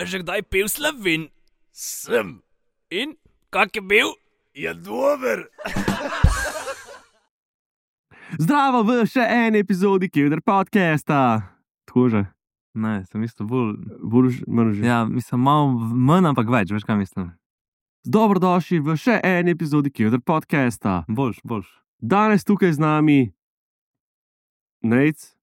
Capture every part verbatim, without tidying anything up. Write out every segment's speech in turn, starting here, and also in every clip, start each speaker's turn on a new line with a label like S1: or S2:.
S1: že kdaj pil Slovin? Sem. In? Kak je bil? Je dober.
S2: Zdravo v še eni epizodi Kevdar podcasta. Tako že.
S3: Ne, sem mislil bolj...
S2: Bolj manj že.
S3: Ja, mislim, malo manj, ampak več, veš kaj mislim.
S2: Dobrodošli v še eni epizodi Kevdar podcasta.
S3: Boljš, boljš.
S2: Danes tukaj z nami Nejc.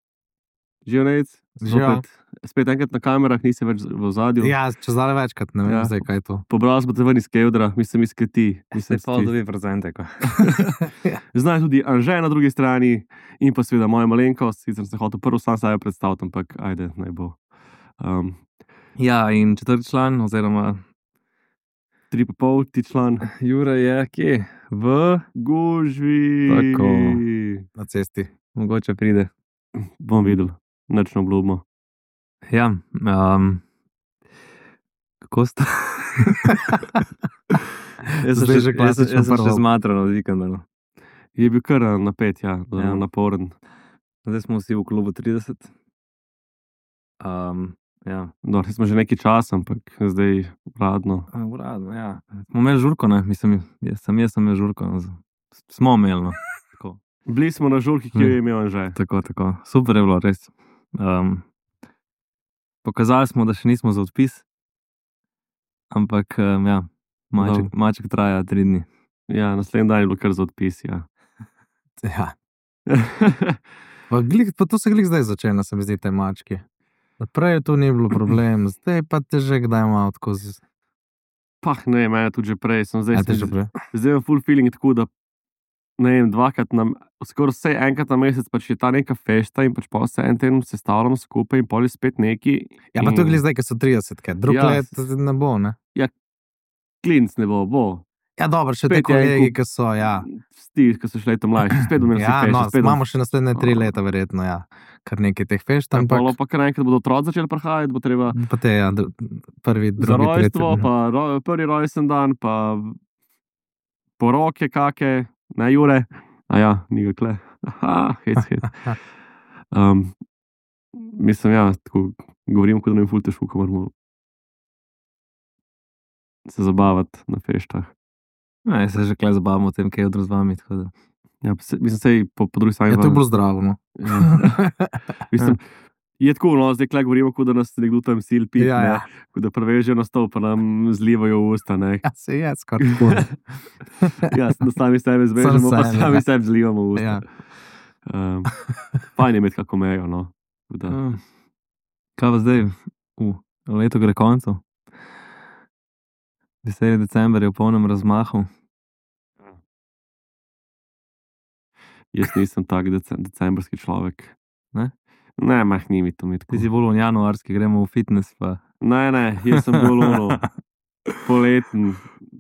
S2: Živijo Nejc.
S4: Živijo.
S2: Spet enkrat na kamerah, nisi več v ozadju.
S4: Ja, če zdaj večkrat, ne vem,
S2: Ja.
S4: ja. zdaj kaj je to.
S2: Pobral smo te ven iz Kevdra, mislim iz Kreti.
S3: Se pa dobi prezente, ko.
S2: Znaj tudi Anže na drugi strani in pa seveda moja malenkost, sicer sem hotel prvo sam sebe predstaviti, ampak ajde, naj bo. Um,
S3: Ja, in četrti član, oziroma
S2: tri pa pol, ti član.
S3: Jure je kje? V...
S2: Gužvi.
S3: Tako.
S4: Na cesti.
S3: Mogoče pride.
S2: Bom videl, nič ne obljubimo.
S3: Ja, um, kako sta? jaz sem
S4: Zdaj
S3: še,
S4: že
S3: jaz, sem-
S4: klasično
S3: jaz sem
S4: prvo.
S3: še zmatran od vikenda. No.
S2: Je bil kar napet, ja, zelo
S3: Ja.
S2: naporen.
S3: Zdaj smo vsi v klubu trideset. Um, ja.
S2: No, smo že nekaj časa, ampak zdaj uradno.
S3: A, Uradno, ja. Smo imeli žurko, ne? Mislim, jaz sem, jaz sem imel žurko. No. Smo imeli, no. Tako.
S2: Bili smo na žurki, ki jo je imel Anže.
S3: Tako, tako. Super je bilo, res. Um, pokazali smo, da še nismo za odpis, ampak um, ja, maček, maček traja tri dni.
S2: Ja, naslednji dan je bilo kar za odpis, ja.
S4: Ja. Pa, glik, pa to se glik zdaj začne, se mi zdi, te mački. Prej to ni bilo problem, zdaj pa te že kdaj malo tako z...
S2: Pah, ne, mene tudi že prej. Sem zdaj,
S4: A te že prej?
S2: zdaj imam full feeling tako, da ne vem, dvakrat, na, skoraj vse enkrat na mesec pač je ta neka fešta in pač pa se en teden sestavljamo skupaj in pol je spet neki.
S4: Ja, pa to je glik zdaj, ki so trideset, kaj. Drug
S2: Ja,
S4: let ne bo, ne?
S2: Klinc ne bo, bo.
S4: Ja, dobro, še te
S2: Spet je en
S4: kolegi,
S2: kup-
S4: ki so, ja.
S2: Sti, ki so še leto mlajši, spet bomo imeli
S4: Ja,
S2: vsi
S4: no,
S2: fešta. spet bomo-
S4: imamo še naslednje tri leta, verjetno, ja. Kar nekaj teh fešt,
S2: Tam pa,
S4: ampak...
S2: pa kar enkrat bodo otroci začeli prihajati, bo treba
S4: Pa te, ja, dru- prvi,
S2: za
S4: drugi,
S2: rojstvo,
S4: tretji.
S2: pa ro, prvi rojsten dan, pa poroke kake, ne Jure, a ja, ni ga kle. Aha, hec, hec. Um, mislim, ja, tako govorim, kot da nam je ful težko, ko moramo se zabavati na feštah.
S3: Ja, jaz se že kle zabavamo o tem, kaj je odro z vami. Tako da.
S2: Ja, pa se, mislim, sej po, po drugi strani.
S4: Ja, to je
S2: pa-
S4: bolj zdravo, no.
S2: Ja. Mislim, je tako, no, zdaj kle govorimo, kot da nas nekdo tam sil pit,
S4: Ja,
S2: ne,
S4: ja.
S2: kot da prevežejo na stol, pa nam zlivajo v usta, ne.
S4: Ja, se je, skoraj tako.
S2: Ja, da sami sebe zvežemo, pa
S4: sebe,
S2: sami
S4: ja.
S2: sebe zlivamo v usta.
S4: Ja.
S2: Um, fajn je imeti kako mejo, no. Tako Da,
S3: Uh, kaj pa zdaj? Uh, leto gre koncu. Deseti december je v polnem razmahu.
S2: jaz nisem tak dece, decembrski človek.
S3: Ne?
S2: Ne, mah ni mi to mi tako.
S3: Ti si bolj v januarski, gremo v fitness. Pa.
S2: Ne, ne, jaz sem bolj ono, poleten,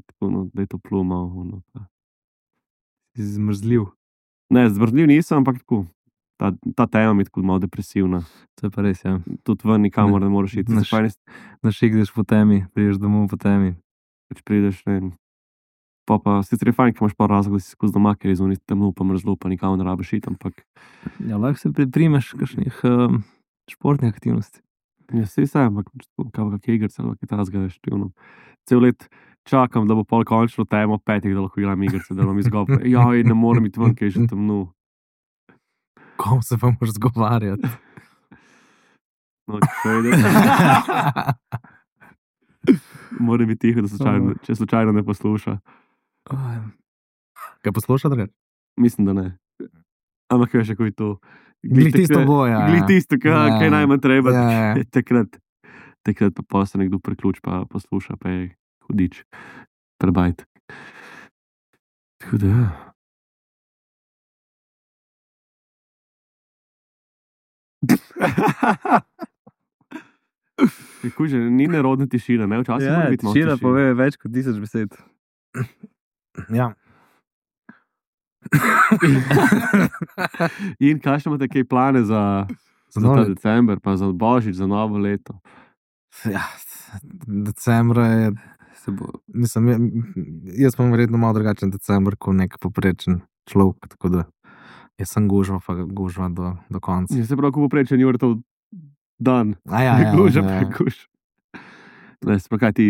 S2: tako, no, da je to pluma. Ono, pa.
S3: Si zmrzljiv.
S2: Ne, zmrzljiv nisem, ampak tako. Ta, ta tema mi je tako malo depresivna.
S3: To je pa res, ja.
S2: Tudi ven nikamor ne moreš iti.
S3: Naš-
S2: Se fajn je,
S3: Našigdeš po temi, prideš domov po temi.
S2: če prideš, ne vem. Pa pa sicer je fajn, ker imaš pa razlog, da si skozi doma, ker je zunaj temno, pa mrzlo, pa nikamor ne rabiš iti, ampak
S3: Ja, lahko se priprimeš kakšnih um, športnih aktivnosti.
S2: ja, saj se, ampak kako kak igrice, ali kaj tasga, veš, ti ono. Cel let čakam, da bo pol končno temo petih, da lahko igram igrice, da bom izgovoril. Joj, ne morem iti ven, ker je že temno.
S4: Kom se pa moraš zgovarjati?
S2: No, če ide. Mora biti tiho, da slučajno, če slučajno ne posluša.
S4: Kaj posluša, drugače?
S2: Mislim, da ne. Ampak veš, kako je to.
S4: Glih tisto
S2: takrat-
S4: bo, ja, ja.
S2: Glih tisto, kaj,
S4: Ja.
S2: kaj najmanj treba.
S4: Ja, ja.
S2: Takrat, takrat pa pa se nekdo priključ, pa posluša, pa je hudič. Trebajt. Tako da, ja. Kako že, ni nerodna tišina, ne? Včasih mora biti malo
S3: tišina
S2: tišine.
S3: pove več kot tisoč besed.
S4: Ja.
S2: In kakšne imate kaj plane za, za
S4: Za
S2: ta
S4: novo leto?
S2: december, pa za božič, za novo leto?
S4: Ja, decembra je,
S3: Se bo,
S4: mislim, je- jaz imam verjetno malo drugačen december kot nek poprečen človek, tako da jaz sem gužva, pa gužva do, do konca.
S2: Je se prav, ko poprečen Jurtov dan.
S4: A ja, ja,
S2: Guža,
S4: ja, ja.
S2: prekuš. Ne, sploh kaj ti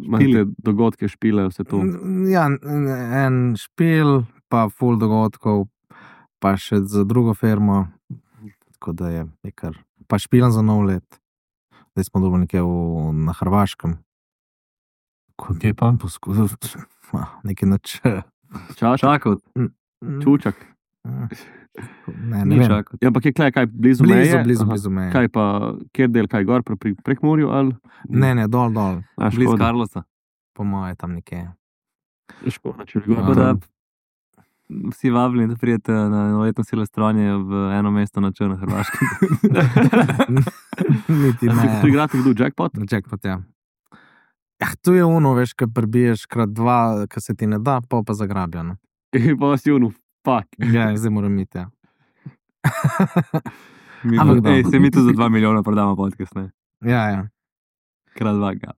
S2: imate dogodke, špile, vse to.
S4: Ja, en špil, pa full dogodkov, pa še za drugo firmo, tako da je nekar. Pa špilam za nov let. Zdaj smo dobili nekje v, na Hrvaškem.
S3: Kje pa?
S4: Poskusil, nekaj noč.
S2: Čačak,
S3: Čakal.
S2: čučak.
S4: Ne, ne
S3: Ni
S4: vem.
S3: čakal.
S2: Ja, ampak je kaj, kaj blizu,
S4: Blizu,
S2: meje?
S4: blizu,
S2: Aha.
S4: blizu meje.
S2: Kaj pa, kjer del, kaj gor, pri pri Prekmurju ali?
S4: Ne, ne, dol, dol.
S2: A,
S3: Bliz
S2: škoda.
S3: Karlosa.
S4: Po moje tam nekje.
S2: Škoda, če bi gor.
S3: Tako da vsi vabljeni, da prijete na novoletno silvestrovanje v eno mesto na Črno Hrvaškem.
S4: Niti
S2: Tu
S4: ne.
S2: igrate kdo, Jackpot?
S4: Jackpot, ja. Ja, tu je ono, veš, kad prebiješ krat dva, kad se ti ne da, pa pa zagrabijo. No.
S2: In pa vas je unu, fuck.
S4: Ja, zdaj moram iti, ja.
S3: Mi
S4: Ampak
S3: bo,
S4: da.
S3: ej, se mi tu za dva milijona prodamo podcast, ne?
S4: Ja, ja.
S3: Krat dva ga.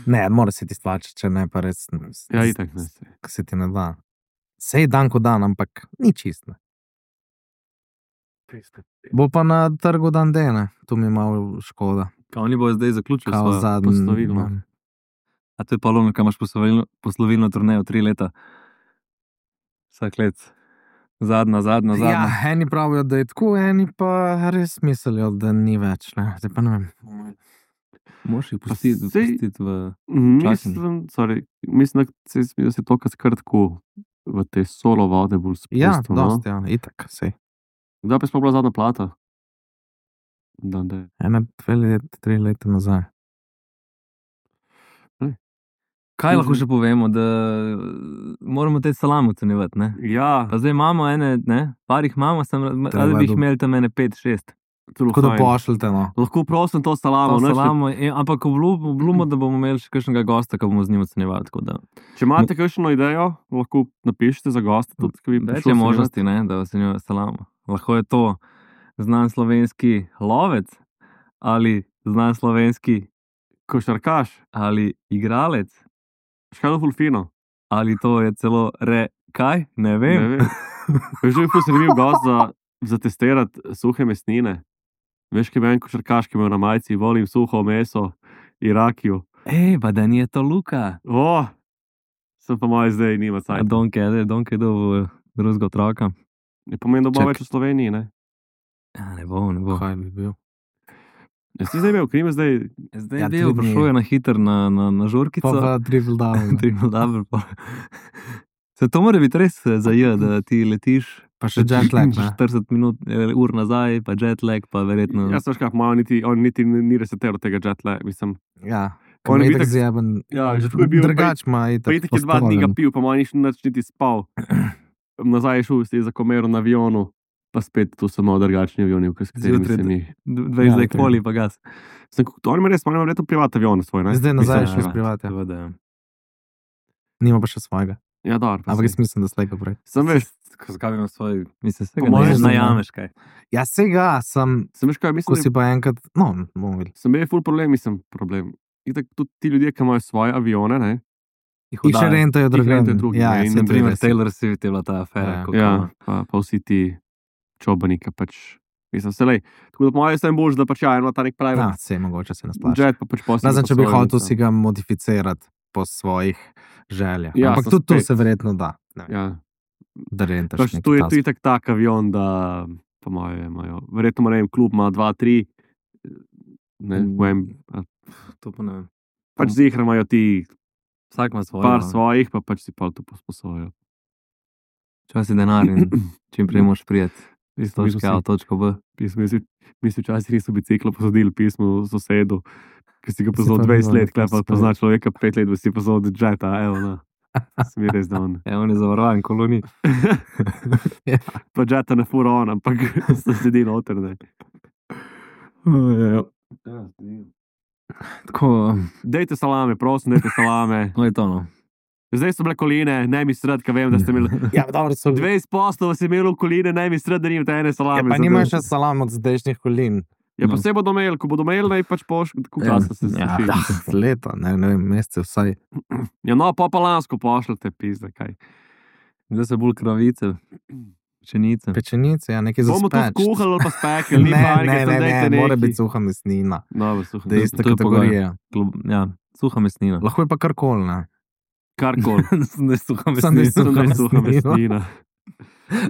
S4: Ne, mora se ti splačati, če ne, pa res.
S2: Ja, itak, ne.
S4: Ko se ti ne da. Sej dan ko dan, ampak ni čist. Ne. Bo pa na trgu dan D, ne. Tu mi je malo škoda.
S3: Ka oni bo zdaj zaključili
S4: Kao
S3: svojo.
S4: zadnji.
S2: poslovilno.
S3: A to je pa lovno, kaj imaš poslovilno, poslovilno turnejo tri leta. Vsak let. Zadnja, zadnja, zadnja.
S4: Ja, eni pravijo, da je tako, eni pa res mislijo, da ni več. Ne. Zdaj pa ne vem.
S3: Moš jih pustiti,
S2: Pa sej-
S3: pustiti v...
S2: Mislim, sorry, mislim, da se, da se to kar tako v te solo vode bolj spustil.
S4: Ja,
S2: no?
S4: dosti, ja, itak, sej.
S2: Kdaj pa je sploh bila zadnja plata? Da, da.
S4: Ene, dve leti, tri leta nazaj.
S3: Kaj lahko še povemo, da moramo te salam ocenjevati, ne?
S2: Ja,
S3: Pa zdaj imamo ene, ne? Par jih imamo, sem, ali bi jih
S4: dobro.
S3: imeli tam ene pet, šest.
S2: zelo
S4: Tako da
S2: fajn.
S4: pošljite, no.
S2: Lahko prosim to salamo.
S3: To
S2: nič ne-
S3: salamo, e, ampak obljubo, da bomo imeli še kakšnega gosta, ki bomo z njim ocenjevali. tako da.
S2: Če imate kakšno idejo, lahko napišite za gosta. Tudi, ki bi
S3: Več
S2: prišel
S3: je
S2: ocenjevati.
S3: možnosti, ne, da ocenjuje salamo. Lahko je to znan slovenski lovec ali znan slovenski
S2: Košarkaš,
S3: ali igralec
S2: škalo fulfino.
S3: ali to je celo re, kaj, ne vem.
S2: Ne vem. Veš, da je ful zanimiv gost za, za testirati suhe mesnine. Veš, ki je en košarkaš, ki ima na majici, volim suho meso, Irakiju.
S3: Ej, pa da ni to Luka.
S2: O, sem pa moj zdaj, nima
S3: A
S2: cajt.
S3: Donke, da je Donke do drugega otroka.
S2: Ne pomeni, da bo
S3: Čak.
S2: več v Sloveniji, ne?
S3: Ja, ne bo, ne bo.
S4: Kaj bi bil?
S2: Jaz si zdaj imel, krime zdaj.
S3: Zdaj
S4: Ja,
S3: je bil,
S4: tri dni.
S3: prišel je na hiter na, na, na žurkico.
S4: Pa pa triple down.
S3: Triple double, pa. Se to mora biti res za je, da ti letiš
S4: Pa še jet lag, ne.
S3: štirideset minut, eh, ur nazaj, pa jet lag, pa verjetno.
S2: Jaz veš, kaj malo niti, on niti ni reseteral tega jetla, mislim.
S4: Ja.
S2: On
S4: On
S2: je
S4: je
S2: itak-
S4: itak zjeben.
S2: Ja, že tako je bil,
S4: Drugač ima itak.
S2: Pa itak je dva dni ga
S4: postavljen.
S2: pil, pa manj nič niti spal. Nazaj je šel, si je zakomeral na avionu, pa spet tu so malo drugačni avioni, s katerimi
S3: Zjutraj
S2: se mi.
S3: dvajset
S4: Ja,
S3: zdaj
S4: to je.
S3: poli, pa gas.
S2: Sem, on ima res, on ima verjetno privat avion svoj, ne?
S4: Zdaj nazaj je
S2: Mislim,
S4: šel
S2: ja.
S4: s privatja.
S3: Seveda, ja.
S4: Nima pa še svojega.
S2: Ja, dobro. pa
S4: Ampak
S2: saj.
S4: jaz mislim, da slejka prej.
S2: Sem veš,
S3: Zakaj bi imel svoj, mislim, se
S2: Po
S3: ga
S2: mojem
S3: ne
S4: zna.
S3: najameš kaj.
S4: Ja, sega sem,
S2: sem veš kaj,
S4: ko
S2: mislim,
S4: si pa enkrat, no, bomo videli.
S2: sem bil ful problem, mislim, problem. Itak tudi ti ljudje, ki imajo svoje avione, ne?
S3: Jih
S4: In še
S3: oddajo.
S4: rentajo druge.
S2: rentajo drugi,
S4: Ja,
S2: ne, in
S4: se
S2: na
S3: Primer
S4: res.
S3: Taylor Swift je bila ta afera.
S4: Ja.
S3: koliko
S2: Ja,
S3: ima.
S2: pa, pa vsi ti čobani, ki pač, mislim, se lej. Tako da po mojem sem bož, da pač ja, ima ta nek pravi
S4: Ja, se mogoče se nasplača.
S2: jet, pa pač posebej.
S4: Razen, če bi hotel si ga modificirati po svojih željah.
S2: Ja,
S4: Ampak
S2: sem
S4: tudi to
S2: spet.
S4: se verjetno da. Ne vem,
S2: Ja,
S4: da rentaš
S2: pač
S4: neki
S2: tu je
S4: task.
S2: tu itak tak avion, da po mojem imajo, verjetno ima, ne vem, klub ima dva, tri, ne
S4: Mm.
S2: vem, a
S3: To pa ne vem.
S2: pač zihra imajo ti
S3: Vsak ima svoje.
S2: par
S3: no.
S2: svojih, pa pač si pa to posposojo.
S3: Čas je denar in čim prej moš prijeti. Iz točke A v točko B.
S2: Mi smo včasih res v biciklu posodili pismo sosedu, ki si ga poznal
S4: pa
S2: dvajset
S4: bilo
S2: let,
S4: nekaj
S2: kaj pa
S4: spet.
S2: pozna človeka pet let, da si poznal džeta, evo, no. Sem je res dan.
S3: E, on je zavarovan, koloni.
S2: Pa džeta ne fura on, ampak se sedi noter, ne.
S3: Tako,
S2: Dejte salame, prosim, dejte salame.
S3: no je to no.
S2: Zdaj so bile koline, ne mi sred, kaj vem, da ste imeli.
S4: Ja, dobro, so dve.
S2: dvajset posto si imeli v koline, ne mi sred, da nimate ene
S4: Ja,
S2: salame.
S4: pa
S2: za
S4: nimajo
S2: dejt.
S4: še salam od zdajšnjih kolin.
S2: Ja, pa se bodo imeli, ko bodo imeli, naj pač poš, kako
S3: Ja,
S2: časa se
S3: ja,
S2: suši.
S4: Ah, leta, ne, ne vem, mesece vsaj.
S2: Ja, no, pa pa lansko pošljete, pizda, kaj.
S3: Zdaj so bolj kravice. Pečenice.
S4: Pečenice, ja, nekaj za
S2: Bomo to
S4: speč.
S2: skuhali ali pa spekli, ni
S4: Ne,
S2: panike,
S4: ne,
S2: samo
S4: ne,
S2: dajte
S4: ne, mora
S2: nekaj.
S4: biti suha mesnina.
S2: Dobro, suha
S4: Da je ista
S3: to je
S4: kategorija.
S3: Klub, ja, suha mesnina.
S4: Lahko je pa karkoli, ne.
S2: Karkoli.
S3: Sem da je suha
S4: Samo da je
S3: mesnina.
S2: Sem da je suha
S4: mesnina.
S2: mesnina.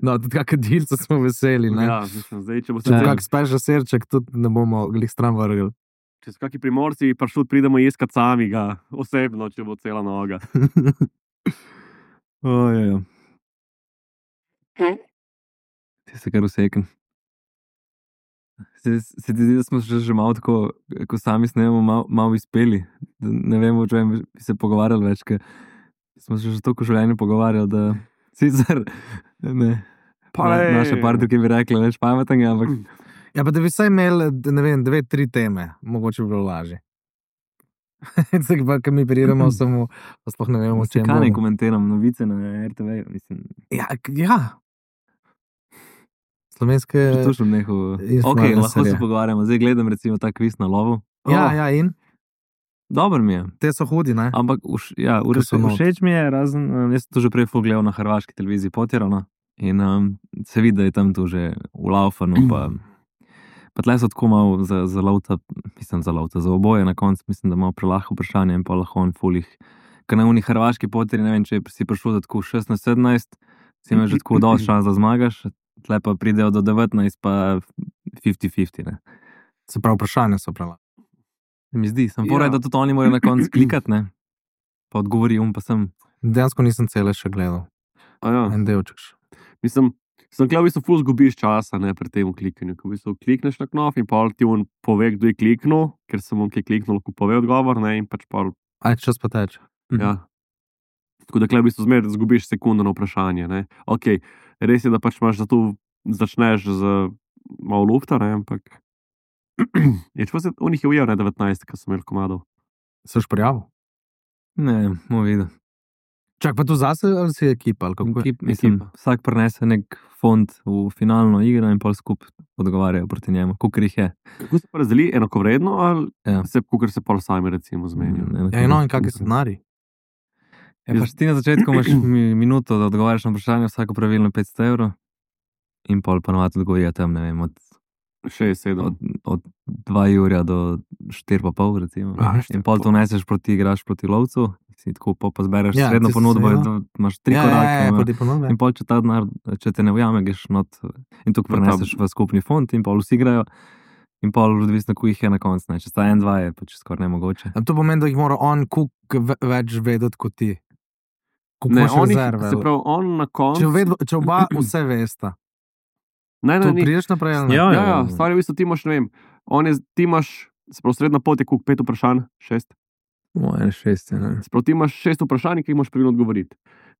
S4: No, tudi kakšne dilce smo veseli, ne.
S2: Ja, mislim, zdaj, če bo se
S4: Če
S3: Ja.
S4: kak speža sirček, tudi ne bomo glih stran vrgli.
S2: Če so kakšni primorci, pa šut pridemo iskat sami ga, osebno, če bo cela noga.
S3: Ojej. Ti se kar usekam. Se, se ti zdi, da smo že, že malo tako, ko sami snemamo, malo, malo izpeli. Da ne vemo, o čem bi se pogovarjali več, ker smo se že toliko v življenju pogovarjali, da sicer ne.
S2: Pa
S3: Na,
S2: lej.
S3: naše partnerke bi rekli več pametnega, ampak
S4: Ja, pa da bi vsaj imeli, ne vem, dve, tri teme, mogoče bi bilo lažje. Tako pa, ko mi pridemo, samo pa sploh ne vemo, o čem
S3: kaj ne
S4: bomo.
S3: komentiram, novice na R T V, mislim,
S4: Ja, k- ja. Slovenske...
S3: že to sem nehal. Ok,
S4: influencerje.
S3: lahko se pogovarjamo. Zdaj gledam recimo ta kviz na lovu.
S4: Ja,
S2: Oh.
S4: ja, in
S3: Dober mi je.
S4: te so hudi, ne?
S3: Ampak už, ja,
S4: Ker so not.
S3: všeč mi je, razen, um, jaz sem to že prej ful gledal na hrvaški televiziji Potjerano in um, se vidi, da je tam to že v laufanu, pa, pa tle so tako malo za, za lovca, mislim za lovca, za oboje na koncu, mislim, da malo prelahko vprašanje in pa lahko on fulih, ker na unih hrvaški Potjeri, ne vem, če si prišel za tako šestnajst sedemnajst, si imaš že tako dosti šans, da zmagaš, tle pa pridejo do devetnajst, pa fifty fifty, ne.
S4: Se pravi, vprašanja so prela.
S3: Se mi zdi, sem
S2: Ja.
S3: poraj, da tudi oni morajo na koncu klikati, ne, pa odgovori um, pa sem.
S4: Dejansko nisem cele še gledal.
S2: A ja.
S4: En delček še.
S2: Mislim, sem gledal, v bistvu ful zgubiš časa, ne, pri tem klikanju. Ko v bistvu klikneš na knof in pol ti on pove, kdo je kliknil, ker sem on, ki je kliknil, lahko pove odgovor, ne, in pač pol,
S4: Aj, čas pa teče.
S2: ja. Tako da, klej v bistvu zmeraj zgubiš sekundo na vprašanje, ne. Ok, res je, da pač imaš za to, začneš z malo lufta, ne, ampak je, če pa se, on jih je ujel, ne, devetnajst, ko sem imel komadov.
S4: Se už prijavil?
S3: Ne, bomo videli.
S4: Čak, pa tu zase ali si ekipa? Ali kako je?
S3: Ekip, mislim,
S2: Ekipa.
S3: vsak prenese nek fond v finalno igro in pol skupaj odgovarjajo proti njemu, koliko jih je.
S2: Kako se pa razdeli, enakovredno ali
S3: Ja.
S2: se, kakor se pol sami recimo zmenijo?
S3: Mm,
S4: Ja, no, in kak je scenarij?
S3: Ja, pač ti na začetku imaš mi- minuto, da odgovarjaš na vprašanje, vsako pravilno petsto evrov in pol pa navadi odgovorijo tam, ne vem, od,
S2: šest, sedem.
S3: od, od dva jurja do štiri pa pol, recimo.
S2: Aha, štiri
S3: In pol
S2: pa
S3: to neseš proti, igraš proti lovcu, si tako pol pa zbereš
S4: Ja,
S3: ja, srednjo
S4: tisto
S3: ponudbo, in
S4: srednjo.
S3: to imaš tri
S4: ja,
S3: korake.
S4: Ja, ja,
S3: ima.
S4: pa ti ponudbe.
S3: In pol, če ta denar, če te ne ujame, greš not in to
S2: V ta-
S3: preneseš v skupni fond in pol vsi igrajo. In pol, odvisno, koliko jih je na koncu. ne. Če sta en, dva, je pač skoraj nemogoče.
S4: A to pomeni, da jih mora on kuk ve- več vedeti kot ti. Koliko
S2: Ne,
S4: imaš
S2: on, jih,
S4: rezerve?
S2: se pravi, on na koncu.
S4: Če, ved, če oba vse vesta,
S2: Ne, ne,
S4: to
S2: ni.
S4: priješ naprej ali ne?
S3: Ja,
S2: Ja, ja, stvar je v bistvu, ti imaš, ne vem, on je, ti imaš, se pravi, srednja pot je kuk pet vprašanj, šest.
S3: Moje šest, ne.
S2: Se pravi, ti imaš šest vprašanj, ki jih moraš pravilno odgovoriti.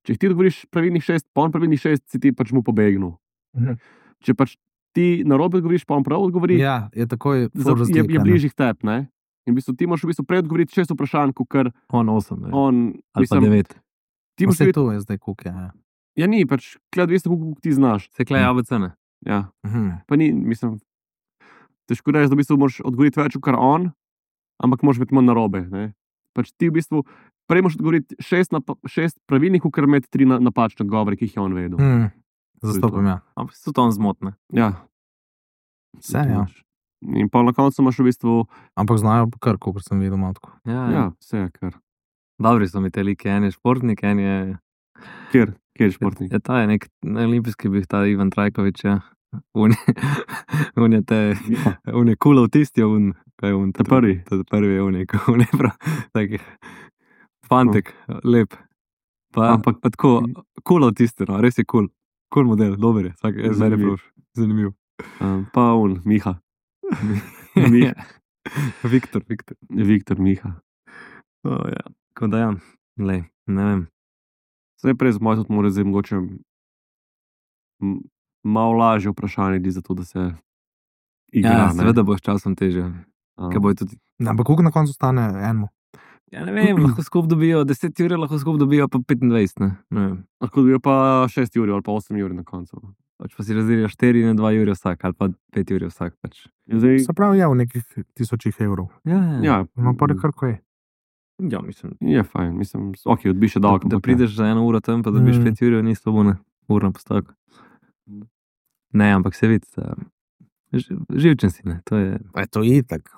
S2: Če jih ti odgovoriš pravilnih šest, pa on pravilnih šest, si ti pač mu pobegnil.
S4: Mhm.
S2: Če pač ti narobe odgovoriš, pa on prav odgovori,
S4: Ja, je takoj
S2: za-
S4: ful
S2: je,
S4: razlika,
S2: je
S4: ne.
S2: bližjih tep, ne? In v bistvu ti moraš v bistvu prej odgovoriti šest vprašanj, kot kar
S3: On osem, ne.
S2: on,
S3: Ali pa
S2: mislim,
S3: devet.
S2: ti moraš
S4: Vse
S2: videti,
S4: to je zdaj kuk, ja.
S2: ja ni, pač, kled veste, koliko ti znaš.
S3: Se klej A B C, ne.
S2: Ja.
S4: Mhm.
S2: Pa ni, mislim, težko reči, da v bistvu moraš odgovoriti več, kot on, ampak moraš biti manj narobe. Ne? Pač ti v bistvu prej moraš odgovoriti šest, napa, šest pravilnih, kot imeti tri na, napačne odgovore, ki jih je on vedel.
S4: Mhm. Zastopam, ja.
S3: Ampak so to on zmotne.
S2: Ja.
S4: Vse, ja.
S2: In pa na koncu imaš v bistvu,
S4: Ampak znajo pa kar, kot sem videl, matko.
S3: Ja,
S2: ja,
S3: ja.
S2: ja vse je kar.
S3: Dobri so mi te like, en je športnik, en je...
S2: Kjer, kjer je športnik?
S3: Ja, ta je nek na olimpijski bil, ta Ivan Trajkovič, ja. Un je, un je te, un je kul avtist, je un, kaj je un?
S2: Ta prvi.
S3: Ta prvi je un, je un je prav, tak fantek, lep. Pa,
S2: Ampak-
S3: Ampak pa tako, kul avtist, no, res je kul. Kul model, dober je, vsak je zmeraj
S2: Zanimiv.
S3: prav, zanimiv.
S2: Um, pa on, Miha,
S3: Ja. Viktor, Viktor.
S2: Viktor Miha.
S3: Oh, ja. Tako da ja, lej, ne vem.
S2: Zdaj prej z moj tudi mora zdaj mogoče m- malo lažje vprašanje, di za to, da se igra.
S3: Ja,
S2: ne.
S3: seveda bo s časom težje,
S2: Um,
S3: ker bojo tudi.
S4: Ampak koliko na koncu stane enemu?
S3: Ja, ne vem, lahko skupaj dobijo deset ur, lahko skupaj dobijo pa petindvajset, ne, ne vem.
S2: Lahko dobijo pa šest ur ali pa osem ur na koncu.
S3: Pač pa si razdelijo štiri in dva ure vsak, ali pa pet ur vsak. Pač.
S2: In zdaj,
S4: Se pravi, je v nekih tisočih evrov.
S3: Ja,
S2: ja,
S4: No, pa je kar kaj.
S3: ja, mislim.
S2: je fajn, mislim, ok, odbiš še
S3: Da,
S2: dolgo.
S3: da
S2: ampak ja.
S3: prideš za eno uro tam, pa dobiš
S4: Mm.
S3: pet ur, ni slabo, ne, urna postavka. Ne, ampak se vidi, da ži- živčen si, ne. To je
S4: A je to itak.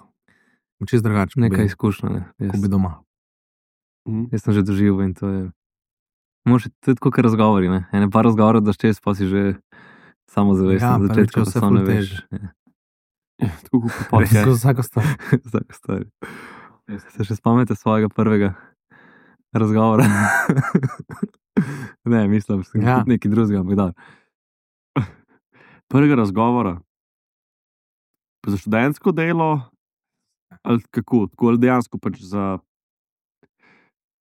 S4: Čist drugače,
S3: neka izkušnja, ne.
S4: ko
S3: Jaz,
S4: bi doma.
S2: Mhm.
S3: jaz sem že doživel in to je, moraš, to je tako, kot razgovori, ne. Ene par razgovorov daš čez, pa si že samozavesten
S4: Ja,
S3: na
S4: prvič je
S3: začetku, pa
S4: vse
S3: samo
S4: ful
S3: ne veš.
S4: težje.
S3: Ja.
S2: Tako kot podcast.
S4: Skozi vsako stvar.
S3: Vsaka stvar. Se še spomnite svojega prvega razgovora? Ne, mislim, sem
S4: Ja.
S3: ja. nekaj drugega, ampak da.
S2: Prvega razgovora. Pa za študentsko delo, ali kako, tako ali dejansko pač za.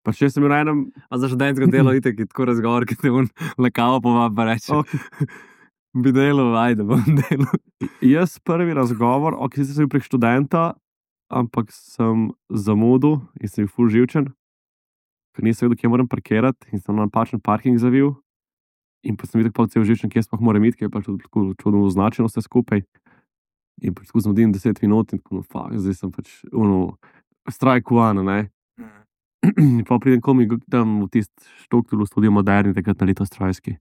S2: Pač jaz sem bil na enem.
S3: A za študentsko delo itek je tako razgovor, ki te un na kavo povab, pa reče,
S2: Okay.
S3: bi delal, ajde, bom delal.
S2: Jaz prvi razgovor, ok, sicer sem bil prek študenta, ampak sem zamudil in sem bil ful živčen, ker nisem vedel, kje moram parkirati in sem na napačen parking zavil. In pa sem videl, pa cel živčen, kje sploh moram iti, ker je pač tudi tako čudno označeno vse skupaj. In pač tako zamudim deset minut in tako, no, fuck, zdaj sem pač, ono, strike one, ne. In pa pridem komi tam v tisti štrukturu studio moderni, takrat na Litostrojski.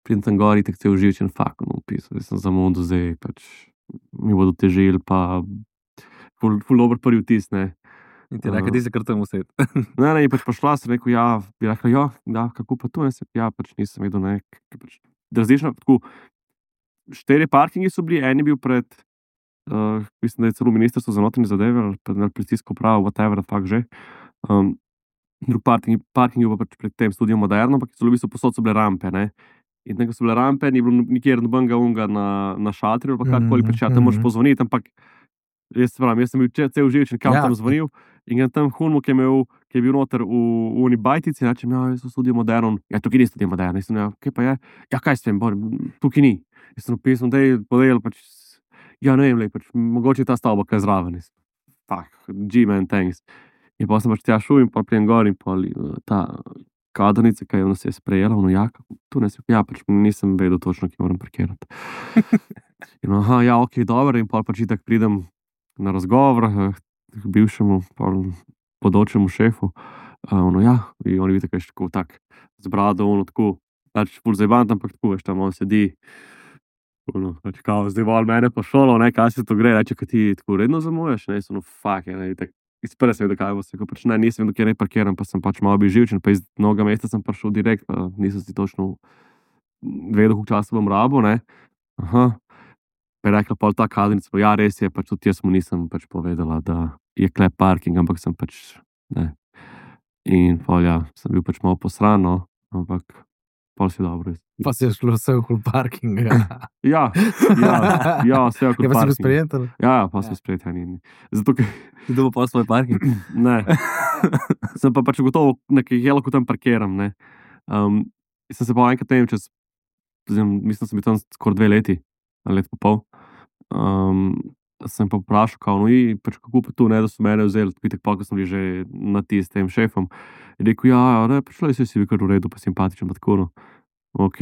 S2: Pridem tam gor, tako cel živčen, fuck, no, pisal, zdaj sem zamudil, zdaj pač mi bodo težili, pa ful, ful dober prvi vtis, ne.
S3: In ti reče, ti se kar tam used.
S2: Ne, ne, je pač prišla, sem rekel, ja, bi rekla, ja, da, kako pa tu, ne, sem, ja, pač nisem vedel, ne, ker pač različno, tako, štiri parkingi so bili, en je bil pred, uh, mislim, da je celo ministrstvo za notranje zadeve, ali pa na policijsko upravo, whatever, fakt že, um, drug parking, parking je pa pač pred tem studijem Moderno, ampak so v bistvu posod so bile rampe, ne, in tam, ko so bile rampe, ni bilo nikjer nobenega unga na, na šatriju, ali pa karkoli, pač ja, tam moraš pozvoniti, ampak jaz se pravim, jaz sem bil če- cel živčen, kam
S4: Ja.
S2: tam zvonil in grem tam Hunmu, ki je imel, ki je bil noter v, v uni bajtici, rečem, ja, jaz sem studio Moderno, ja, tukaj ni studio Moderno, jaz sem, ja, kaj pa je, ja, kaj s tem, bor, tukaj ni, jaz sem napisal, da je podajal, pač, ja, ne vem, lej, pač, mogoče je ta stavba kaj zraven, jaz, fuck, G-man, thanks. In pa sem pač tja šel in pa prijem gor in pa uh, ta kadrnica, ki je nas je sprejela, ono, ja, kako- tu ne si, ja, pač nisem vedel točno, kje moram parkirati. In aha, ja, ok, dobro, in pa pač itak pridem na razgovor eh, k bivšemu pol bodočemu šefu, uh, ono, ja, in on vidi, kaj je tako tak z brado, ono, tako, pač ful zajebant, ampak tako, veš, tam on sedi, ono, pač kao, zdaj vol mene pa šolo, ne, kaj se to gre, reče, kaj ti tako redno zamujaš, ne, so, no, fuck, je, ne, itak, iz prve sem vedel, kaj bo se, ko pač ne, nisem vedel, kje ne parkiram, pa sem pač malo bil živčen, pa iz mnoga mesta sem prišel direkt, pa nisem si točno vedel, koliko časa bom rabo, ne, aha, pa je rekla pol ta kadrnica, pa ja, res je, pač tudi jaz mu nisem pač povedala, da je klep parking, ampak sem pač, ne, in pol ja, sem bil pač malo posran, no, ampak pol si dobro.
S4: Pa si je šlo vse okoli parkinga.
S2: Ja, ja, ja, vse
S4: Je
S2: okoli
S4: pa si bil
S2: parking.
S4: sprejet? ali?
S2: Ja, ja, pa sem sprejet, ja, ni, ni. Zato, ker
S3: Kdo bo pa svoj parking?
S2: ne. Sem pa pač gotovo, nekaj je lahko tam parkiram. Ne. Um, sem se pa enkrat tem čez, zdaj, mislim, da sem bil tam skoraj dve leti, ali let pa pol. Um, sem pa vprašal, kao, no, in pač kako pa tu, ne, da so mene vzeli, vitek pa, ko sem bil že na ti s tem šefom. Je rekel, ja, ne, prišlo je, si bil kar v redu, pa simpatičen, pa tako, no. Ok.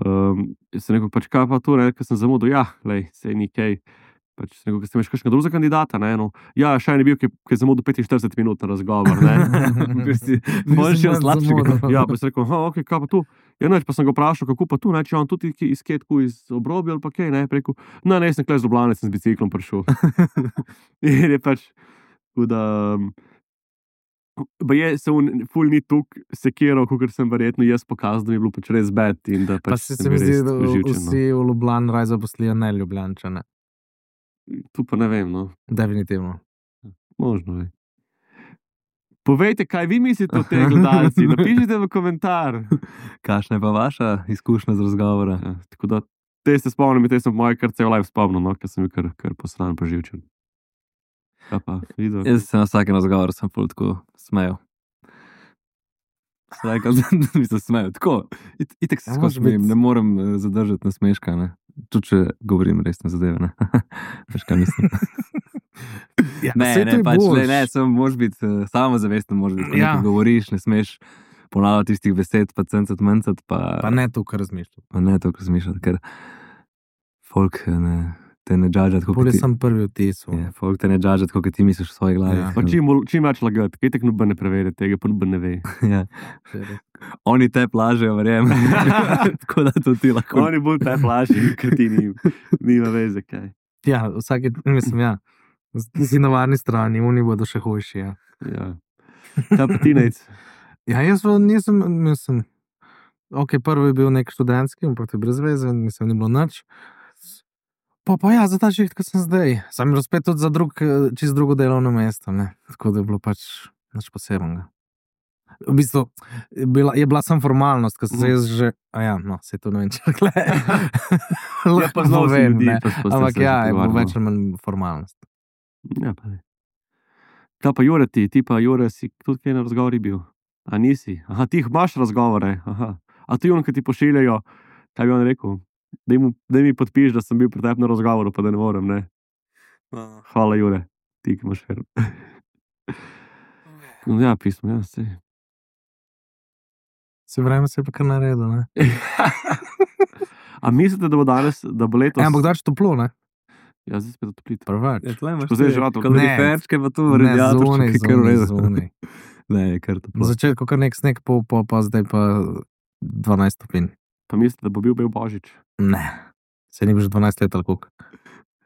S2: Um, jaz sem rekel, pač kaj pa tu, ne, ker sem zamudil, ja, lej, sej ni kaj. Pač sem rekel, ker ste imaš kakšnega drugega kandidata, ne, no. Ja, še en je bil, ki, ki je zamudil petinštirideset minut na razgovor, ne. Ker si boljši od
S4: nič
S2: slabšega.
S4: zamudil.
S2: Ja, pa sem rekel, aha, ok, kaj pa tu? Ja, neč, pa sem ga vprašal, kako pa tu, ne, če je on tudi ki- iz Ketku, iz obrobja ali pa kaj, ne, rekel, no, ne, jaz sem kle z Ljubljane, sem z biciklom prišel. In je pač, tako da, um, pa je se on ful ni tuk sekiral, kot sem verjetno jaz pokazal, da mi je bilo pač res bed in da
S4: Pa
S2: pač
S4: si
S2: sem
S4: se mi
S2: bil
S4: zdi,
S2: res
S4: da
S2: živčen, no.
S4: vsi v Ljubljani raje zaposlijo ne Ljubljančane.
S2: Tu pa ne vem, no.
S4: Definitivno.
S2: Možno je. Povejte, kaj vi mislite o teh gledalci, napišite v komentar.
S3: Kakšna je pa vaša izkušnja z razgovora?
S2: Ja, tako da, te se spomnim, te sem moje kar cel live spomnil, no, ker sem bil kar, kar posran pa živčen. Kaj pa, videl?
S3: Jaz se na vsakem razgovoru sem pol tako smejal. Sem rekel, da mi se smejo. Tako, it- itek se
S4: Ja,
S3: skozi
S4: moraš biti-
S3: smejim, ne morem eh, zadržati nasmeška, ne. Tudi če govorim resne zadeve, ne. Veš, kaj mislim.
S4: Ja,
S3: Ne,
S4: saj to
S3: ne,
S4: je
S3: pač,
S4: boljš.
S3: le, ne, samo moraš biti uh, samozavesten, moraš biti, ko
S4: Ja.
S3: nekaj govoriš, ne smeš ponavljati tistih besed, pa cencat, mencat, pa,
S4: Pa ne to, kar razmišljam.
S3: pa ne to razmišljati, ker folk, eh, ne, te ne džadžati, kako
S4: Bolje
S3: ti...
S4: sem prvi vtis.
S3: Ja, folk te ne džadžati, kako ti misliš v svoji glavi.
S4: Ja.
S2: Pa čim, bolj- čim več lagati, kaj tek noben ne prevede tega, pa noben ne ve.
S3: Ja. Oni te plažejo, verjamem. Tako da to ti lahko.
S2: Oni bolj te plaši, ker ti ni, nima veze kaj.
S4: Ja, vsake, mislim, ja. Si na varni strani, oni bodo še hujši. Ja,
S2: Ja. Ta pa ti nec.
S4: ja jaz pa nisem, mislim, ok, prvi je bil nek študentski, ampak to je brez veze, mislim, ni bilo nič. Pa pa ja, za ta šiht, ko sem zdaj. Sam je bilo spet tudi za drug, čist drugo delovno mesto, ne. Tako da je bilo pač nič posebnega. V bistvu je bila, je bila sem formalnost, ko sem se jaz že, a ja, no, se to ne vem, če gle.
S2: Ja, pa znal si ljudi, pa pa ste
S4: Ampak
S2: se
S4: ja, je bilo
S2: pogovarjali.
S4: več ali manj formalnost.
S2: Ja, pa ne. Ta pa Jure ti, ti pa Jure si tudi kaj na razgovori bil. A nisi? Aha, ti imaš razgovore. Aha. A ti on, ki ti pošiljajo, kaj bi on rekel? Daj, mu, daj mi podpiš, da sem bil pri tebi na razgovoru, pa da ne morem, ne? Hvala, Jure, ti, ki imaš fer. No, ja, pismo, ja, se.
S4: Se vreme se je pa kar naredil, ne.
S2: A mislite, da bo danes, da bo letos...
S4: E, ampak dač toplo, ne.
S2: Ja, zdaj spet otoplite.
S4: Prvač.
S3: Ja, tle imaš
S2: Ko zdaj
S3: te
S2: že rado-
S3: kaloriferčke, pa tu
S4: Ne,
S3: radiatorček,
S4: zunaj,
S3: ki je kar v
S4: zunaj,
S3: redu.
S4: zunaj.
S3: Ne, je kar
S4: Na
S3: toplo.
S4: začetku kar nek sneg, pol, pol, pa zdaj pa dvanajst stopinj.
S2: Pa mislite, da bo bil bel Božič?
S4: Ne. Se ni bil že dvanajst let ali koliko.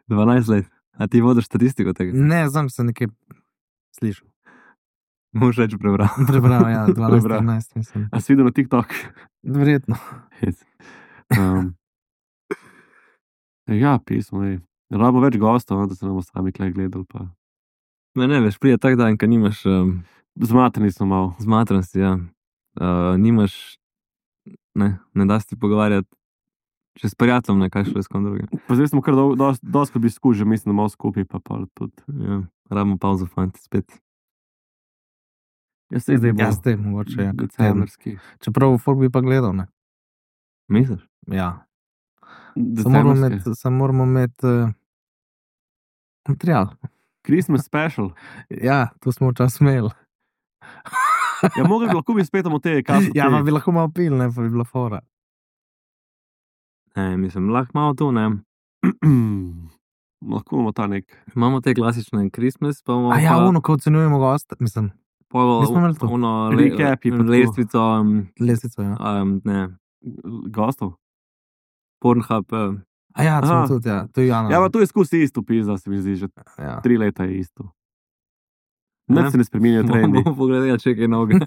S3: dvanajst let. A ti vodiš statistiko tega?
S4: Ne, znam se nekaj slišal.
S3: Moš reči prebral.
S4: Prebral, ja, dvanajst,
S2: Prebral.
S4: trinajst, mislim.
S2: A si videl na TikTok?
S4: Verjetno.
S2: Hec. Um, ja, pismo je. Rabimo več gostov, no, da se ne bomo sami klej gledali. Pa.
S3: Ne, ne, veš, prije tak dan, ko nimaš um,
S2: Zmatrani smo malo.
S3: zmatranosti, ja. Uh, nimaš, ne, ne da se ti pogovarjati še s prijateljem, ne, kaj šlo je s kom drugim.
S2: Pa zdaj smo kar dol- dos- dosti bi skušali, mislim, da malo skupaj, pa pa tudi.
S3: Ja, rabimo pauzo, fanti, spet.
S2: Jaz se zdaj
S4: Ja,
S2: bolj
S4: ste, mogoče, ja. kak teden.
S2: decembrski.
S4: Čeprav folk bi pa gledal, ne.
S3: Misliš?
S4: Ja. Samo moramo
S2: Decembrski.
S4: imeti, samo moramo imeti uh, material.
S2: Christmas special.
S4: Ja, to smo včasih imeli.
S2: Ja, mogli bi lahko bi spet o te kafe.
S4: Ja, pa bi lahko malo pil, ne, pa bi bila fora.
S3: Ne, mislim, lahko malo to, ne.
S2: Lahko imamo ta nek.
S3: Imamo te klasične Christmas, pa imamo
S4: A ja,
S3: pa,
S4: ono, ko ocenjujemo gosta, mislim,
S3: pa
S4: nismo imeli to.
S3: ono
S2: Recapi pa tako.
S3: lestvico, um,
S4: lestvico, ja.
S3: um, ne,
S2: Gostov.
S3: Pornhub, uh,
S4: A ja, to smo
S2: Aha.
S4: tudi, ja. To je Jana.
S2: Ja, pa tu je skozi isto pizda, se mi zdi, že
S4: Ja.
S2: tri leta je isto.
S3: Ne.
S2: Nič se ne spreminja trendi.
S3: bomo pogledali, če je kaj novega.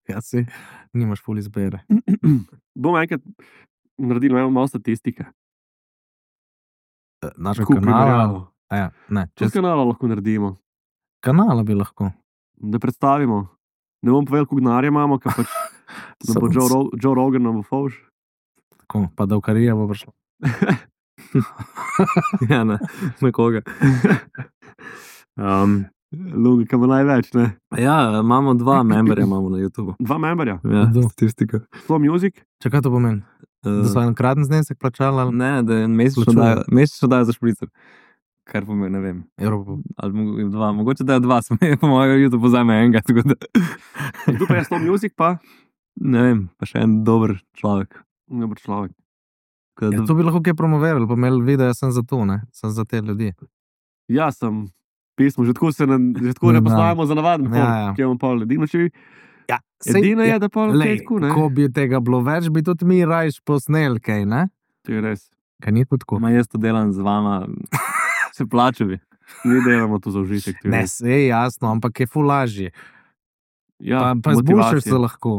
S4: Ja, si, nimaš ful izbere.
S2: Bomo enkrat naredili malo, malo statistike.
S4: Našega
S2: Tako
S4: kanala.
S2: primerjavo.
S4: A ja, ne,
S2: Čez
S4: čez
S2: kanala lahko naredimo,
S4: kanala bi lahko.
S2: da predstavimo. Ne bom povedal, koliko denarja imamo, ker pač da bo
S4: Samo-
S2: Joe, Ro- Joe Rogan nam bo fauš.
S4: Tako, pa da v karija bo prišlo.
S3: Ja, ne, nekoga. Um,
S2: Lugi, ki bo največ, ne?
S3: ja, imamo dva memberja imamo na YouTubu.
S2: Dva memberja.
S3: Ja,
S4: Kdo?
S3: statistika.
S2: Slow Music.
S4: Če kaj to pomeni? Da so
S3: Uh,
S4: enkraten znesek plačali ali
S3: ne, da je mesečno
S4: Plačujejo.
S3: dajo, mesečno dajo za špricer. Kar pomeni, ne vem.
S4: evrov?
S3: Ali mogo- dva, mogoče dajo dva, sem po mojem YouTube vzame enega, tako da
S2: Tu pa je Slow Music, pa
S3: ne vem, pa še en dober človek.
S2: dober človek.
S3: Tako da
S4: Ja, to bi lahko kaj promovirali, pa imeli video, jaz sem za to, ne, sem za te ljudi.
S2: Ja, sem pismo, že tako se ne, že tako
S4: Ne
S2: ne
S4: bram.
S2: poznajmo za navaden folk,
S4: Ja, ja.
S2: ki imamo pol edino, če bi,
S4: Ja,
S2: edino je, da pol
S4: Lej,
S2: kaj tako, ne?
S4: ko bi tega bilo več, bi tudi mi rajš posnel kaj, ne?
S2: To je res.
S4: Kaj ni tudi tako?
S3: Ma jaz to delam z vama, se plača bi.
S2: Mi delamo to za užitek. to je
S4: Ne,
S2: res.
S4: se je jasno, ampak je ful lažje.
S2: Ja,
S4: Pa, pa zbušaš se
S2: motivacija.
S4: lahko.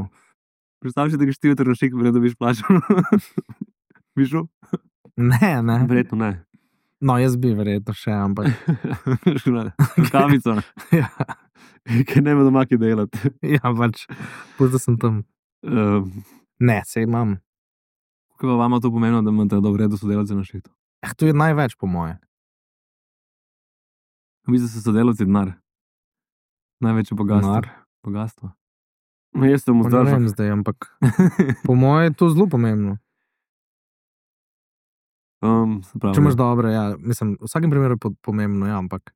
S3: Predstavljaj si, da greš ti v trnošik, ne dobiš plačo. Bi šel?
S4: Ne, ne.
S2: Verjetno ne.
S4: No, jaz bi verjetno še, ampak.
S3: Kavico. ne.
S4: ja,
S2: Ker ne vem doma, kaj delati.
S4: ja, pač, pusti sem tam.
S2: Um,
S4: Ne, se imam.
S3: Kaj pa vama to pomeni, da imate dobro redo sodelavce na šihtu?
S4: Eh, to je največ, po moje.
S3: Vi ste sodelavci denar. Največje bogatstvo.
S4: Denar.
S3: Bogatstvo.
S2: no, jaz sem
S4: Pa ne
S2: vzdržal.
S4: vem zdaj, ampak po moje je to zelo pomembno.
S2: Um,
S3: Se pravi,
S4: Če imaš dobre, ja, mislim, v vsakem primeru je po- pomembno, ja, ampak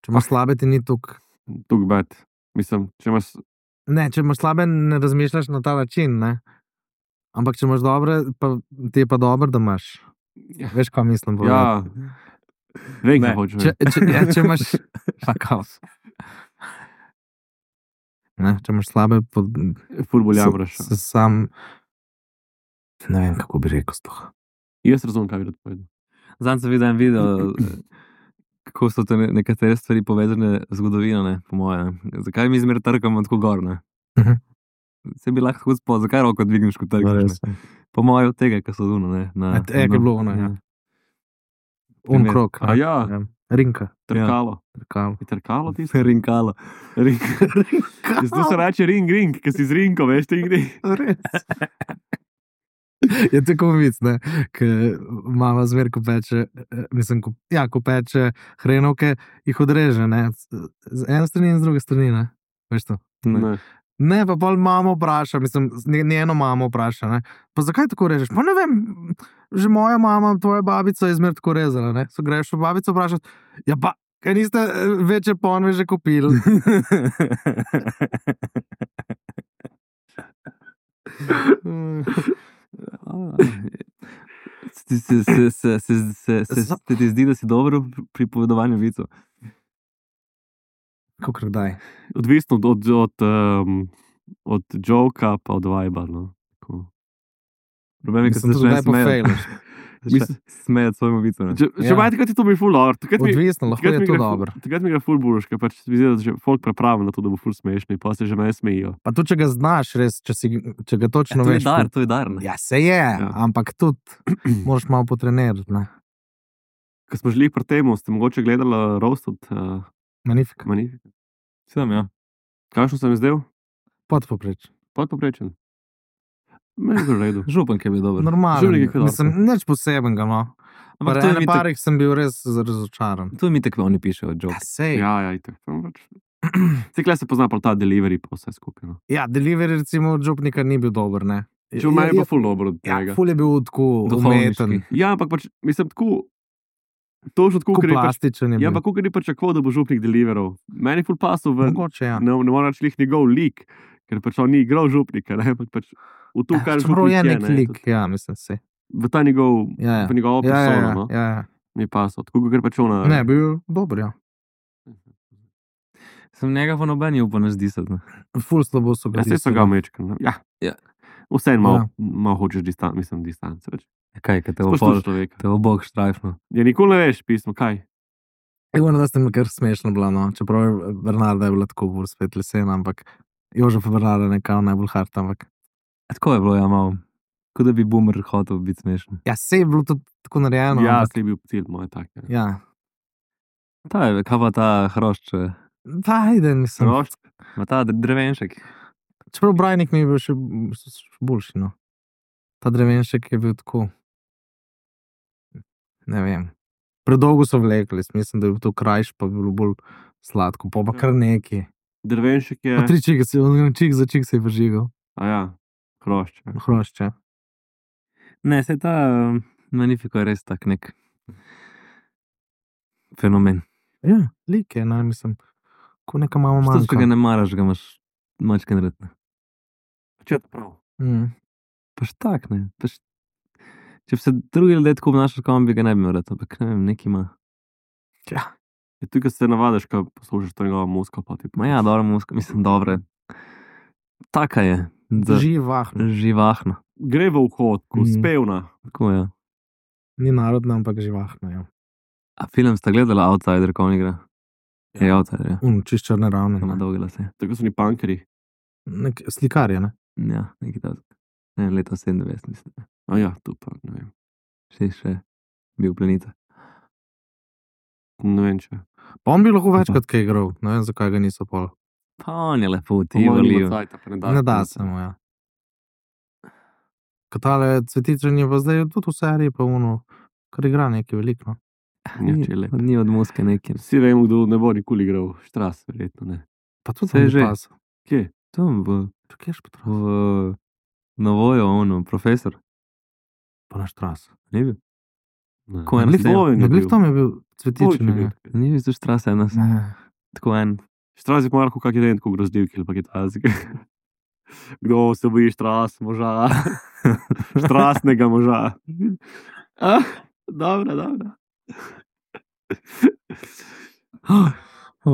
S4: če imaš slabe, ti ni tukaj.
S2: Tuk bad. Mislim, če imaš,
S4: Ne, če imaš slabe, ne razmišljaš na ta način, ne. Ampak če imaš dobre, pa ti je pa dobro, da imaš. Veš, kaj mislim?
S2: Ja, vem, kaj
S3: Ne,
S2: hočeš.
S4: Če, če, ja, če imaš, pa kaos. Ne, če imaš slabe, pod,
S2: Ful bolj
S4: se,
S2: jamraš.
S4: se sam, ne vem, kako bi rekel to.
S2: Jaz razumem, kaj bi rad povedal.
S3: Zdaj sem videl en video, eh, kako so te ne- nekatere stvari povezane z zgodovino, ne, po moje. Ne. Zakaj mi zmer trkamo tako gor? Ne?
S4: Mhm.
S3: Se bi lahko tako spod, zakaj roko dvigneš, ko trkaš? Ne? Po moje od tega, kar so zuno. Ne, na,
S4: A te- je, ko je bilo ono, ja. Un
S3: Primer.
S4: krok.
S2: A ja,
S4: Rinka.
S2: trkalo.
S4: Trkalo.
S2: Je trkalo tisto?
S3: Rinkalo.
S2: Ring. Zato se reče ring, ring, ker si z rinko, veš, ti gre.
S4: Res. Je tako vic, ne, ker mama zmer, ko peče, eh, mislim, ko, ja, ko peče hrenovke, jih odreže, ne, z z ene strani in z druge strani, ne, veš to.
S2: Ne.
S4: Ne, pa bolj mamo vpraša, mislim, z- njeno mamo vpraša, ne, pa zakaj tako režeš? Pa ne vem, že moja mama, tvoja babica je zmer tako rezala, ne, so greš v babico vprašati, ja pa, kaj niste eh, večje ponve že kupili?
S3: Se, se, se, se, se, se, se, se ti zdi, da si dobro pri pripovedovanju vicov?
S4: Kako kdaj?
S2: Odvisno od, od, od, um, od joka pa od vajba. No. Tako.
S3: Problem je, ker se
S4: Mislim, tudi
S3: začne
S4: kdaj pa
S3: smejati.
S4: fejlaš.
S2: Mislim-
S3: Smejati svojemu vicu. ne.
S2: Če,
S4: Ja.
S2: če imaš takrat, je to mi ful dobro. Takrat mi-
S4: Odvisno, lahko
S2: takrat
S4: je
S2: mi
S4: to
S2: gre ful-
S4: dobro.
S2: Takrat mi gre ful buruš, ker pač mi zdi, da že folk pripravljen na to, da bo ful smešni, pa se že meni smejijo.
S4: Pa tudi, če ga znaš, res, če, si, če ga točno
S3: To je
S4: veš.
S3: dar, to je dar. ne.
S4: Ja, se je, ja. Ampak tudi moraš malo potrenirati. Ne?
S2: Ko smo žili pri tem, ste mogoče gledali roast od uh,
S4: Magnifika.
S2: Magnifica.
S3: Sem, ja.
S2: Kakšno sem izdel?
S4: Podpopreč.
S2: Podpoprečen. Meni je bilo v redu.
S3: Župan, ki je bil dober.
S4: Normalno.
S2: Življenje je dobro.
S4: Mislim, nič posebenega. No.
S3: Ampak
S4: Pri
S3: to je
S4: ene
S3: mi tak-
S4: parih sem bil res razočaran.
S3: to mi tako oni pišejo,
S4: Ja,
S3: joke.
S4: sej.
S2: Ja, ja, itak. Cikle se pozna pa ta delivery pa vse skupaj. No.
S4: Ja, delivery recimo od župnika ni bil dober. Ne?
S2: Če v meni je pa ful dobro od
S4: Ja,
S2: tega.
S4: ful je bil tako
S3: Duhovniški.
S4: umeten,
S2: Ja, ampak pač, mislim, tako, to že tako,
S4: tako
S2: ker je pač,
S4: plastičen. je
S2: ja,
S4: bil.
S2: ampak kako ni pričakoval, da bo župnik deliveral. Meni je ful pasov v,
S4: Mogoče, ja.
S2: ne, ne morem reči, lih njegov lik, ker pač on ni igral župnika, ne, ampak pač v to, kar
S4: Čeprav je
S2: župnik
S4: nek
S2: ne,
S4: lik,
S2: tudi
S4: ja, mislim se.
S2: v ta njegov,
S4: Ja, ja.
S2: v njegovo
S4: Ja, ja,
S2: persono,
S4: ja,
S2: no,
S4: ja, ja.
S2: mi je pasal, tako ker pač ona.
S4: Ne, bil dober, ja.
S3: Sem njega pa nobeni upal ne zdi se. Ne.
S4: Ful slabo so ga.
S2: Ja, se so
S4: disali.
S2: ga mečkali. Ja.
S3: Ja.
S2: Vseeno malo,
S4: Ja.
S2: malo hočeš distan, mislim, distance več.
S3: Kaj, kaj te bo
S2: Spoštuj
S3: pol,
S2: človeka.
S3: te bo bog štrajfno.
S2: Ja, nikoli ne veš pismo, kaj.
S4: Evo, da ste mi kar smešno bila, no. Čeprav je Bernarda je bila tako bolj spet lesena, ampak Jožef Bernarda je nekaj najbolj hard, ampak
S3: Tako je bilo, ja, malo. Kot da bi boomer hotel biti smešen.
S4: ja, se je bilo to tako narejeno.
S2: Ja,
S4: ampak,
S2: se je bil cilj moj tak. Ja.
S4: ja.
S3: Ta je, kaj pa ta hrošč, eh,
S4: Pa, ajde, mislim.
S2: Rošt,
S3: ma ta drevenšek.
S4: Čeprav Brajnik mi je bil še še boljši, no. Ta drevenšek je bil tako, ne vem. Predolgo so vlekli, mislim, da je bil to krajš, pa bi bilo bolj sladko, pa pa kar neki.
S2: drvenšek je.
S4: Pa tri čike se, čik za čik se je vržigal,
S2: A ja, hrošč. Ja.
S4: hrošče.
S3: Ne, se ta uh, Magnifiko je res tak nek fenomen.
S4: Ja, lik je, ne, mislim, ko neka mama
S3: Što, če ga
S4: manjka.
S3: ne maraš, ga imaš mačken red. ne.
S2: Če to prav.
S4: Mm.
S3: Pač tak, ne. Pač, če bi se drugi ljudje tako obnašali, kot bi ga ne bi imel rad, ampak ne vem, neki ima.
S4: Ja,
S2: Je tudi, ko se navadiš, ko poslušaš to njegovo muziko, pa ti
S3: Ma ja, dobro, muska, mislim, dobre. Taka je. Za,
S4: živahno.
S3: živahna.
S2: Gre v vhod, ko
S4: Mhm.
S2: spevna.
S3: Tako je.
S4: Ni narodna, ampak živahna, ja.
S3: A film sta gledala Outsider, ko on igra? Je Outsider, ja.
S4: Un, čist črne ravne.
S3: Ima
S4: Ne.
S3: dolge lase.
S2: Tako so ni punkeri.
S4: Nek slikar je, ne?
S3: Ja, nekaj takega. Ne, leta sedemdeset, mislim.
S2: A ja, tu pa ne vem.
S3: Še, še bil plenica.
S2: Ne vem, če.
S4: Pa on bi lahko večkrat kaj igral, ne vem, zakaj ga niso pol.
S3: Pa on je lepo,
S2: Po
S3: ti
S2: mojem nima
S3: volijo.
S2: cajta, pa ne da.
S4: Ne da se mu, ja. Katale cvetičen je pa zdaj tudi v seriji, pa uno, kar igra nekaj veliko.
S2: Ja, če je lep.
S3: Ni od muske neki.
S2: Vsi vemo, kdo ne bo nikoli igral. Štras, verjetno ne.
S4: Pa tudi
S3: Saj
S4: on
S3: že.
S4: je pas.
S2: Kje?
S3: Tam v,
S4: Kje je špatro?
S3: v Navojo, ono, profesor.
S4: Pa naš tras.
S3: Ni bil?
S2: Ne.
S3: Ko je
S2: Ne,
S3: na
S2: Tvoj
S3: Tvoj
S2: je
S4: Ne
S2: bil.
S4: glih tam je bil
S2: Tvoj
S4: cvetičen.
S2: je
S4: ne.
S2: bil.
S3: Ni bil zdaj štrasa ena,
S4: Ne.
S3: tako en.
S2: Štras je pomarko, kak je den, ko grozdivki ali pa kitajski. Kdo se boji štras moža? Štrasnega moža. Ah? Dobro, dobro.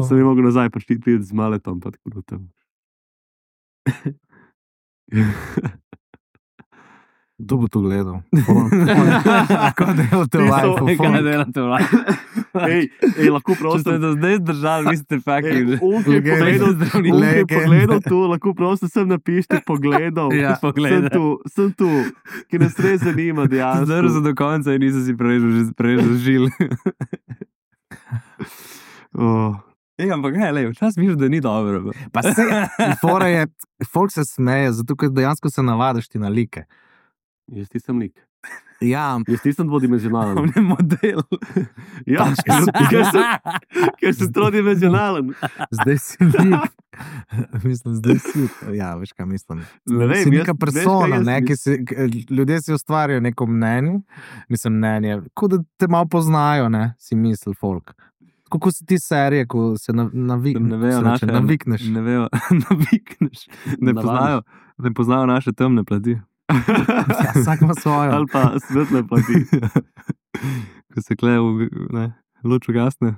S2: Sem jim mogel nazaj prišli priti z maletom, pa tako da tam.
S4: Kdo bo to gledal? Kako delate v live?
S3: Kaj delate v live?
S2: Ej, ej, lahko
S3: Če ste
S2: prosim.
S3: do zdaj zdržali, vi ste fucking...
S2: On je
S4: Legenda.
S2: pogledal, on je
S4: Legenda.
S2: pogledal tu, lahko prosim sem napište pogledal.
S4: Ja,
S2: Sem
S3: pogledal.
S2: tu, sem tu, ki nas res zanima dejansko.
S3: Zdržal do konca in nisem si prerežil, že prerežil žil.
S2: Oh.
S3: Ej, ampak ne, lej, včasih misliš, da ni dobro. bro.
S4: Pa se, fora je, folk se smeje, zato ker dejansko se navadiš ti na like.
S2: Jaz nisem lik.
S4: Ja,
S2: Jaz nisem dvodimenzionalen.
S3: On je model.
S2: Ja, ker, ker, sem, ker sem trodimenzionalen.
S4: zdaj si lik. Mislim, zdaj si. Ja, veš kaj mislim.
S2: Ne vem,
S4: si
S2: jaz-
S4: neka
S2: veš,
S4: persona,
S2: kaj jaz
S4: ne, ki si, k- ljudje si ustvarijo neko mnenje, mislim mnenje, kot da te malo poznajo, ne, si misli folk. Kako si ti serije, ko se na, navik,
S3: Ne vejo
S4: se reče,
S3: naše...
S4: navikneš.
S3: Ne vejo, navikneš. Ne
S2: Navadiš.
S3: poznajo, ne poznajo naše temne plati.
S4: Ja, vsak ima svojo.
S2: Ali pa svetle plati.
S3: Ko se kle v ne, luč ugasne.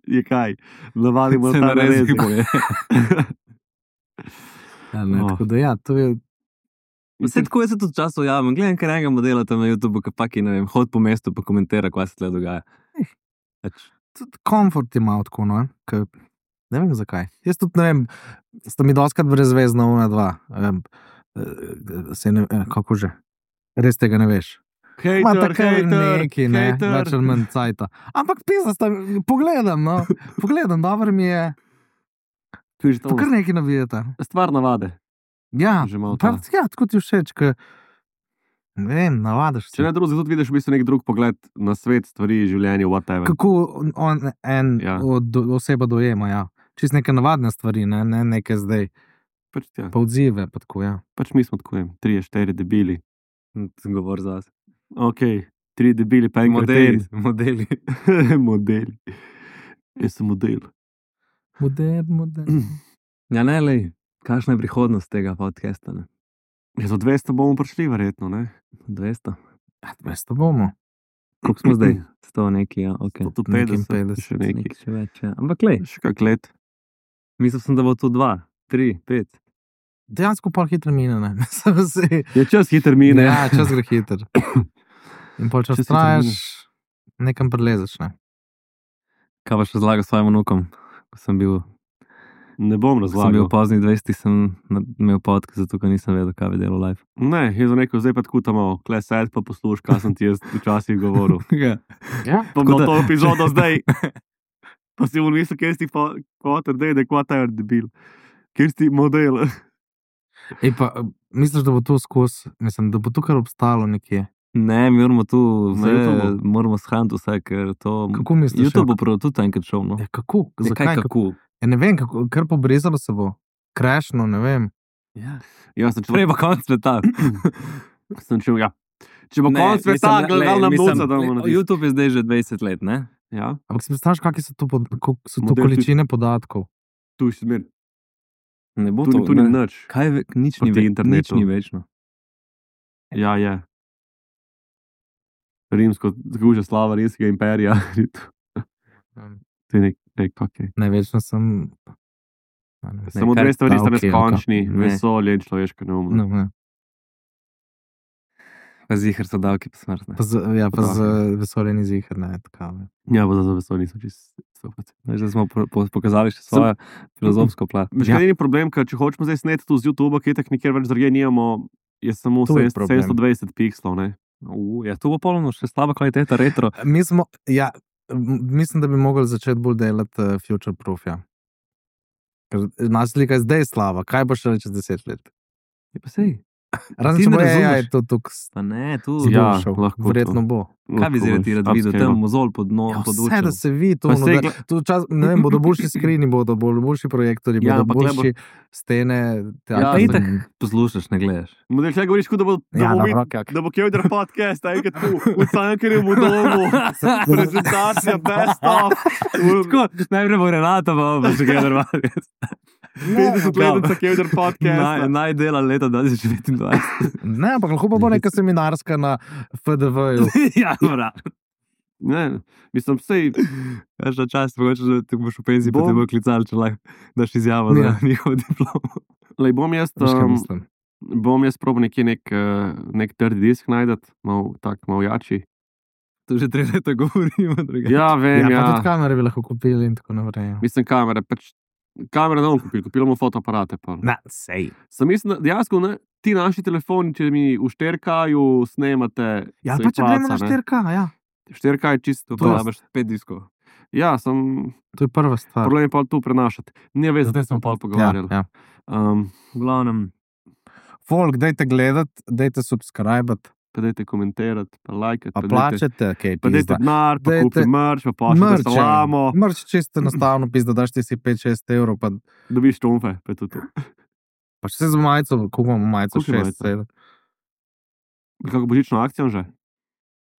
S2: Je kaj? Navadimo
S3: Se
S2: ta
S3: narezi
S2: narezi.
S3: poje.
S4: Ja, ne,
S2: Oh.
S4: tako da ja, to je.
S3: Vse tako jaz se tudi časov javim. Gledam kar enega modela tam na YouTubu, ki paki, ne vem, hod po mestu pa komentira, kaj se tle dogaja. Pač,
S4: Tudi komfort ima tako, no, ke, ne vem zakaj. Jaz tudi ne vem, sta mi doskrat brezvezna una dva. Um, se ne, eh, kako že? Res tega ne veš. Ma
S2: Hejter,
S4: tako
S2: hejter,
S4: neki, ne, več
S2: hejter.
S4: ali manj cajta. Ampak pisa sta, pogledam, no, pogledam, dobro mi je,
S2: Tu je že to
S4: pa kar neki navijete.
S2: stvar navade.
S4: Ja,
S2: Že malo
S4: pa,
S2: ta.
S4: ja, tako ti všeč, ke, ne vem, navadiš
S2: Če
S4: se.
S2: ne drugega, tudi vidiš v bistvu nek drug pogled na svet, stvari, življenje, whatever.
S4: Kako on en
S2: Ja.
S4: od, oseba dojema, ja. Čist neke navadne stvari, ne, ne neke zdaj,
S2: Pač, ja.
S4: pa odzive, pa tako, ja.
S2: pač mi smo tako, vem, trije, štiri debili.
S3: sem govor za vas.
S2: Ok, tri debili, pa en
S3: Modeli,
S2: kreten.
S3: modeli.
S2: Modeli. Jaz sem model.
S4: Modern, modern.
S3: Ja, ne, lej, kakšna je prihodnost tega podcasta, ne?
S2: Ja, za dvesto bomo prišli, verjetno, ne?
S3: dvesto.
S4: Ja, dvesto bomo.
S3: Koliko smo zdaj? sto neki, ja, ok.
S2: sto
S4: Nekaj
S2: petdeset,
S4: petdeset,
S2: še nekaj.
S3: Nekaj še več, ja. Ampak lej,
S2: Še kak let.
S3: mislil sem, da bo to dva, tri, pet.
S4: Dejansko pa hitro mine, ne. Mislim, se-
S2: Je čas hiter mine.
S4: Ja, čas gre hiter. In pol čas
S2: Čas hitro
S4: trajaš, nekam prelezeš, ne.
S3: Kaj pa še zlagal svojim vnukom? Ko sem bil,
S2: Ne bom
S3: ko sem bil v
S2: razlagal.
S3: poznih dvajsetih, sem na- imel podcast, zato ker nisem vedel, kaj bi delal live.
S2: Ne, jaz sem rekel, zdaj pa tako tam, kle sed pa posluš, kaj sem ti jaz včasih govoril.
S3: Ja.
S4: Ja.
S2: Pa
S3: Tako
S2: bilo
S3: da-
S2: to epizodo zdaj. Pa si mu mislil, kjer si fotor, da je whatever debil. Kjer si model.
S4: Ej, pa, eh, misliš, da bo to skozi, mislim, da bo to kar obstalo nekje.
S3: Ne, mi moramo tu
S2: Na
S3: vse,
S2: YouTubeu?
S3: moramo shraniti vse, ker to...
S4: Kako misliš?
S3: YouTube
S4: ja?
S3: bo prav tudi enkrat šel, no.
S4: Ja, kako?
S3: Ja,
S4: Zakaj?
S3: kaj,
S4: Kako?
S3: kako?
S4: Ja, ne vem, kako, kar pobrezalo se bo. Krešno, ne vem.
S3: Ja.
S2: Ja, sem
S3: Prej
S2: čel.
S3: pa konc sveta.
S2: Sem čel, ja. Če bo
S3: Ne,
S2: konc sveta,
S3: mislim,
S2: gledal
S3: lej,
S2: nam
S3: mislim,
S2: noca, da bomo
S3: lej,
S2: naredili.
S3: YouTube je zdaj že dvajset let, ne?
S2: Ja,
S4: Ampak si predstavljaš, kakšne so to, pod, kako so to
S2: Model tudi-
S4: količine podatkov.
S2: tu si smer.
S3: Ne bo
S2: Tu,
S3: to,
S2: ni- tu ni
S3: ne.
S2: nič.
S3: Kaj, ve- nič ni,
S2: Proti
S3: ve, nič
S2: internetu.
S3: ni večno.
S2: Ja, je. Rimsko, tako že slava rimskega imperija. To je nek, nek okay.
S4: Največno sem. a ne,
S2: Samo
S3: kaj-
S2: dve stvari sta
S4: a, okej,
S2: neskončni,
S3: okej. Ne.
S2: vesolje in človeška neumnost.
S4: No, ne.
S3: Pa zihar so davki pa smrt, ne.
S4: Pa z, ja, pa z
S2: Prav.
S4: vesoljem iz jih, ne, tako. Ne.
S2: Ja, pa za vesolje niso čisto sto procent.
S3: Veš, da smo po, po, pokazali še svojo filozofsko plat.
S2: Veš,
S4: Ja.
S2: kaj ni problem, ker če hočemo zdaj sneti tu z YouTube, ki je tako nikjer več drugje nimamo, je samo
S4: To je
S2: sedemsto
S4: problem.
S2: sedemsto dvajset pikslov, ne?
S3: Uh, ja, to bo polno še slaba kvaliteta retro.
S4: Mi smo, ja, m- mislim, da bi mogli začeti bolj delati uh, future proof. Ja. Ker naša slika je zdaj slaba, kaj bo še čez deset let?
S3: Je pa sej.
S4: Razen
S3: Ti
S4: če
S3: ne
S4: bo A I
S3: razumeš.
S4: to tukaj
S3: Pa ne, tu.
S2: Ja,
S4: zboljšal.
S2: lahko to.
S4: Verjetno bo.
S3: Kaj bi zdaj ti rad videl? Tam mozol pod dno,
S4: Ja,
S3: pod
S4: vse, da
S3: učem.
S4: se vidi, to,
S2: Pa
S4: no,
S2: sej
S4: da, to čas, ne vem, bodo boljši skrini, bodo bolj, boljši projektori,
S2: Ja,
S4: bodo
S2: ampak le bo-
S4: boljši stene.
S2: Ja,
S3: Pa
S2: sej-
S3: itak poslušaš, ne gledaš.
S2: Model, če govoriš, kot da bo, da
S4: Ja,
S2: bo,
S4: dobro,
S2: vid-
S4: kak.
S2: da bo Kevdr podcast, enkrat tu, v Cankarjevem domu, prezentacija best of.
S3: Tako, najprej bo Renata, pa bo še kaj normalno.
S2: petdeset let za Kevdar podcast.
S3: Naj, naj dela leta dva tisoč devetindvajset.
S4: Ne, ampak lahko pa bo neka seminarska na F D V-ju.
S3: Ja, mora.
S2: Ne, mislim, sej,
S3: Kaš na čas, mogoče, da te boš v penziji, pa
S2: Bom-
S3: te bo klicali, če lahko daš izjavo
S4: Ja.
S3: za njihov diplom.
S2: lej, bom jaz,
S4: Veš, kaj
S2: um,
S4: mislim?
S2: bom jaz probil nekje nek, uh, nek trdi disk najdeti, mal, tak, mal jači.
S3: To že tri leta govorimo, drugače.
S2: Ja, vem,
S4: Ja,
S2: ja.
S4: pa tudi kamere bi lahko kupili in tako naprej.
S2: Mislim, kamere, pač, kamere ne bom kupil, kupil bomo fotoaparate. Pa.
S4: Na, sej.
S2: Sem mislim, da dejansko ne, ti naši telefoni, če mi v šterkaju snemate,
S4: Ja,
S2: se
S4: pa če
S2: placa,
S4: gremo na
S2: ne.
S4: štirka, ja.
S2: Šterka je čisto
S3: To
S2: to.
S3: porabiš pet diskov.
S2: Ja, sem,
S4: To je prva stvar.
S2: problem je pa tu prenašati. Ne veš, zdaj smo pa pogovarjali.
S4: Ja, ja.
S2: Um,
S3: V glavnem,
S4: Folk, dajte gledati, dajte subskrbati,
S2: pa dajte komentirati, pa lajkati,
S4: pa
S2: pa dajte,
S4: plačate, kaj
S2: pa dajte
S4: pizda.
S2: denar, pa
S4: Dajte-
S2: kupi merch, pa pošljete
S4: Mrč, ja.
S2: salamo,
S4: Mrč čisto enostavno, pizda, daš ti si pet šest evrov, pa,
S2: dobiš trumfe, pa je to to.
S4: pa še z majico, koliko imamo majico,
S2: Koliko je
S4: šest,
S2: majica?
S4: sedem.
S2: Kako božično akcijo že?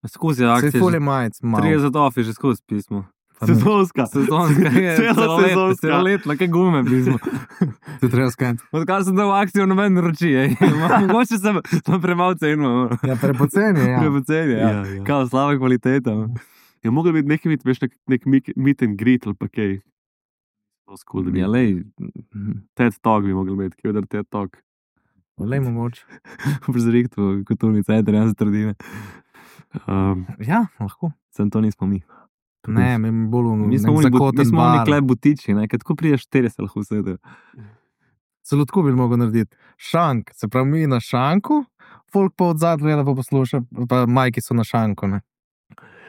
S3: skozi
S4: Sej
S3: akcije,
S4: ful je
S3: že
S4: majic, malo.
S3: trideset ofi že skozi pismo.
S4: Pa ne.
S2: Sezonska.
S3: Sezonska, je,
S2: Cela
S3: celoletna,
S2: sezonska.
S3: celoletna, kaj gume pismo.
S4: To je treba skanti.
S3: Odkar sem dal akcijo, noben naroči, ej. Mogoče sem, sem premalo cenil.
S4: Ja, prepoceni, ja.
S3: Prepoceni, ja.
S2: Ja, ja.
S3: Kao slaba kvaliteta.
S2: Je mogel biti nekaj, vid, veš, nek, nek meet- meet and greet ali pa kaj. To skul, da bi.
S3: Ja, lej,
S2: TED Talk bi mogel imeti, kjer TED Talk.
S4: Lej mu moč.
S3: v zrihtu, kulturni center, jaz trdine.
S2: Um,
S4: Ja, lahko.
S3: Sem to nismo mi.
S4: Ne, mi bolj v
S3: Mi smo
S4: nek
S3: oni, bu- mi
S4: zakoten
S3: smo oni
S4: bar.
S3: klep butiči, ne, ker tako priješ štiri se lahko usedejo.
S4: Celo tako bi mogel narediti. Šank, se pravi, mi na šanku, folk pa od zadaj gleda, pa posluša, pa majki so na šanku. Ne?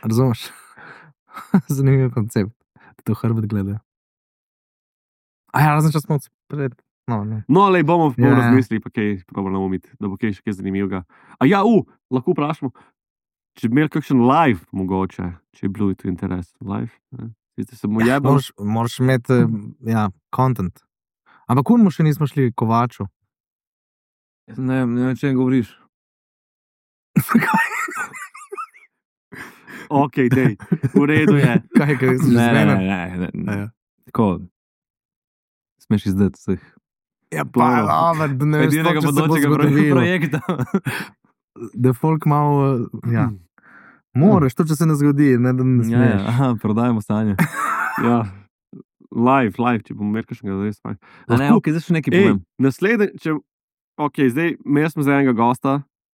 S4: Razumeš? Zanimiv koncept, da to hrbet gledajo. A ja, razen če smo pred. No, ne.
S2: no, lej, bomo, bomo
S4: Ja.
S2: razmislili, pa kaj probamo naumiti, da bo kaj še kaj zanimivega. A ja, u, lahko vprašamo, če bi imeli kakšen live, mogoče, če je bil tu interes. Live, ne? Zdaj se mu jebal.
S4: Moraš, moraš imeti, eh, ja, content. Ampak kunmu še nismo šli kovaču.
S3: Ne, ne vem, če govoriš.
S2: Ok, dej, v redu je.
S4: Kaj, kaj si že
S3: Ne, ne,
S4: zmeden?
S3: ne, ne,
S4: A
S3: ne.
S4: ja.
S3: Tako, smeš izdati vseh.
S4: Ja,
S2: To-
S4: pa, aber, da ne veš,
S3: Edinega
S4: sploh, če se bo
S3: bodočega pro-
S4: zgodovilo.
S3: projekta.
S4: Da folk malo, ja. Moraš, to če se ne zgodi, ne da ne
S3: Ja,
S4: smeš.
S3: ja, aha, prodajamo stanje.
S2: Ja. Live, live, če bom imel kakšnega res fajn.
S3: A ne,
S2: Lahko-
S3: ok, zdaj še nekaj
S2: Ej,
S3: povem.
S2: naslednji, če, ok, zdaj, imeli smo zdaj enega gosta,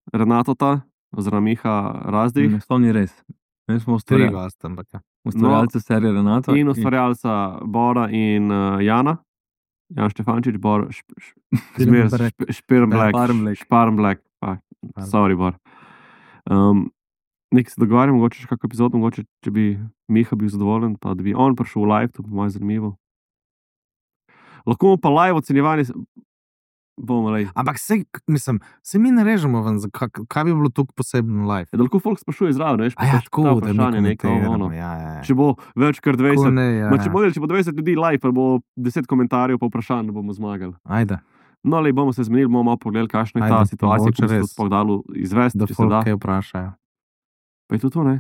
S2: Renatota, oziroma Miha Razdih,
S3: Ne, To ni res. Mi smo
S4: Tri
S3: ustvarjali-
S4: goste, ampak ja.
S3: ustvarjalci serije Renato.
S2: in ustvarjalca Bora in uh, Jana, Jan Štefančič, Bor, šp, šp, zmer,
S4: Špirnblack.
S2: šp, Špirnblack,
S3: Šparrenblack.
S2: Šparrenblack, pa, sorry, Bor. Um, Nek se dogovarjam, mogoče še kakšno epizodo, mogoče, če bi Miha bil zadovoljen, pa da bi on prišel v live, to bo malo zanimivo. Lahko mu pa live ocenjevanje, s- bomo lej.
S4: Ampak se, mislim, se mi ne režemo ven, za kak, kaj bi bilo tukaj posebno live.
S2: Ja, da lahko folk sprašuje zraven, veš,
S4: A ja,
S2: pač
S4: tako,
S2: ta
S4: da
S2: vprašanje
S4: mi
S2: neko, ono.
S4: komentiramo, ja, ja, ja.
S2: Če bo več kot
S4: Tako
S2: dvajset,
S4: ne, ja,
S2: ma, če
S4: ja.
S2: bo, če bo dvajset ljudi live, pa bo deset komentarjev pa vprašanj, da bomo zmagali.
S4: Ajde,
S2: No, le bomo se zmenili, bomo malo pogledali, kakšna je ta
S4: Ajde,
S2: situacija,
S4: mogoče
S2: kako se to
S4: res.
S2: sploh dalo izvesti,
S4: da
S2: če se
S4: folk
S2: da.
S4: kaj vprašajo.
S2: Pa je to to, ne?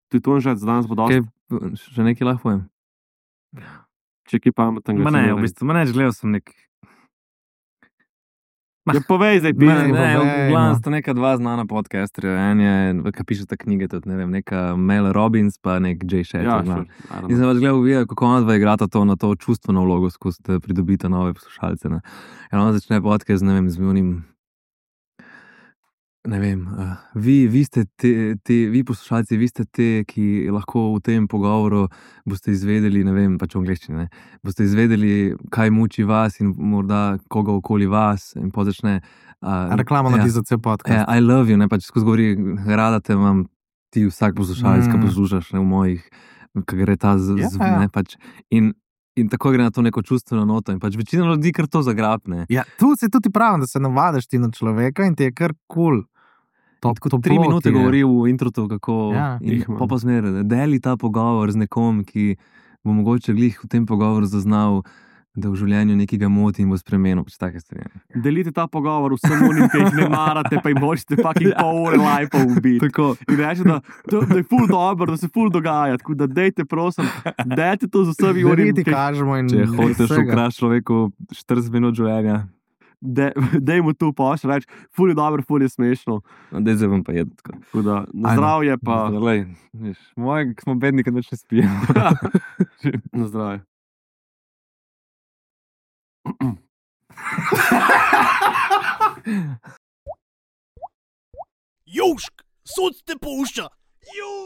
S2: To je to že za danes bo dosti.
S3: Kaj, še nekaj lahko povem.
S2: Če ki pametnega.
S3: Ma
S2: če
S3: ne, v bistvu, ma ne, gledal sem nek.
S2: Ja, povej zdaj,
S3: Ne,
S2: pizdi.
S3: ne,
S4: povej,
S3: v glavnem
S4: no.
S3: sta neka dva znana podcasterja. En je, ki pišeta knjige, tudi ne vem, neka Mel Robbins, pa nek Jay Shetty.
S2: Ja,
S3: glavno.
S2: sure, I don't
S3: In
S2: know.
S3: sem pač gledal, video, kako ona dva igrata to na to čustveno vlogo, skozi da pridobita nove poslušalce. Ne. In ona začne podcast, ne vem, z unim. Ne vem, uh, vi, vi ste te, te, vi poslušalci, vi ste te, ki lahko v tem pogovoru boste izvedeli, ne vem, pač v angleščini, ne, boste izvedeli, kaj muči vas in morda koga okoli vas in pa začne. Uh,
S4: Reklama naredi za cel
S3: Ja,
S4: podcast.
S3: I love you, ne pač skozi govori, rada te imam, ti vsak poslušalec, mm. ki
S4: Mm.
S3: poslušaš ne, v mojih, ki gre ta z,
S4: Ja,
S3: z
S4: ja.
S3: ne, pač, in, in tako gre na to neko čustveno noto in pač večina ljudi kar to zagrabne.
S4: Ja, tu se tudi pravim, da se navadiš ti na človeka in ti je kar kul. Cool.
S3: Tako tri minute govori v introtu, kako
S4: Ja.
S3: in
S2: Jih imam.
S3: pa pa zmeraj, da deli ta pogovor z nekom, ki bo mogoče glih v tem pogovoru zaznal da v življenju nekega moti in bo spremenil, pač take stvari.
S2: Delite ta pogovor vsem unim, ki jih ne marate, pa jim hočete fucking pol ure lajpa ubiti.
S3: Tako.
S2: In reče, da, da, da je ful dobro, da se ful dogaja, tako da dejte, prosim, dajte to z vsemi unim,
S4: Veriti kažemo in
S3: Če hočeš
S4: vsega.
S3: ukrasti človeku štirideset minut življenja,
S2: de, dej mu tu pošlji, reč, ful je dobro, ful je smešno.
S3: no, daj zdaj bom pa jedel. tako.
S2: Tako da, na
S4: Ajde.
S2: zdravje pa,
S3: Lej, veš, moje, ki smo bedni, kad več ne spijemo.
S2: na zdravje.
S1: Južk, sod te pušča. Južk.